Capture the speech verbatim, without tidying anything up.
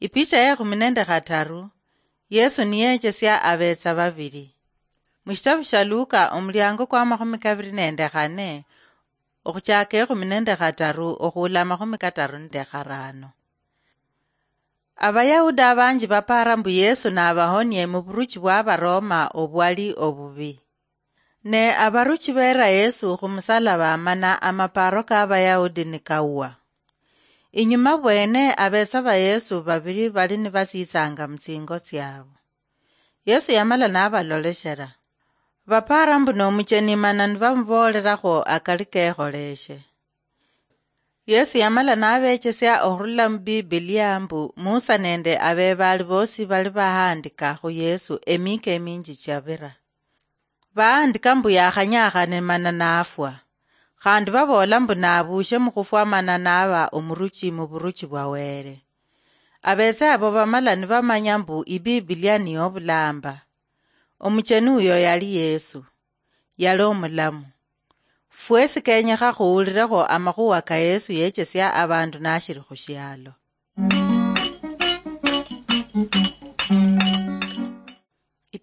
Ipicha ya ekhumi nende khataru, Yesu niyechesia abetsa babili. Mushitabu sha Luka, omuliango kwa makhumi kabili nende khane, okhuchaka ekhumi nende khataru okhuula amakhumi kataru nende kharano. Abayahudi abanji bapara mbu Yesu nabahonie muburuchi bwa Baroma obwali obubi. Ne abaruchi beera Yesu khumusalaba, mana amaparo ka Bayahudi nikawa. Inyuma bwene, abetsa ba Yesu babili bali nibasitsanga mutsingo tsiabo. Yesu yamala nabaloleshera. Bapara mbu nomucheni, mana nibamuboolerakho akali kekholeshe. Yesu yamala nabechesia okhurula mu Bibilia mbu Musa nende abebaali bosi bali bahandika khu Yesu emika eminji chiabira. Bahandika mbu yakhanyakhane mana nafwa. Khandi baboola mbu nabuushe mukhufwa mana naba omuruchi muburuchi bwa Wele. Abetse abo bamala nibamanya mbu Ibibilia niyo obulamba. Omucheni uyo yali Yesu. Yali omulamu. Fwesi kenyekha khuhulirekho amakhuwa ka Yesu yechesia abandu nashiri khushialo.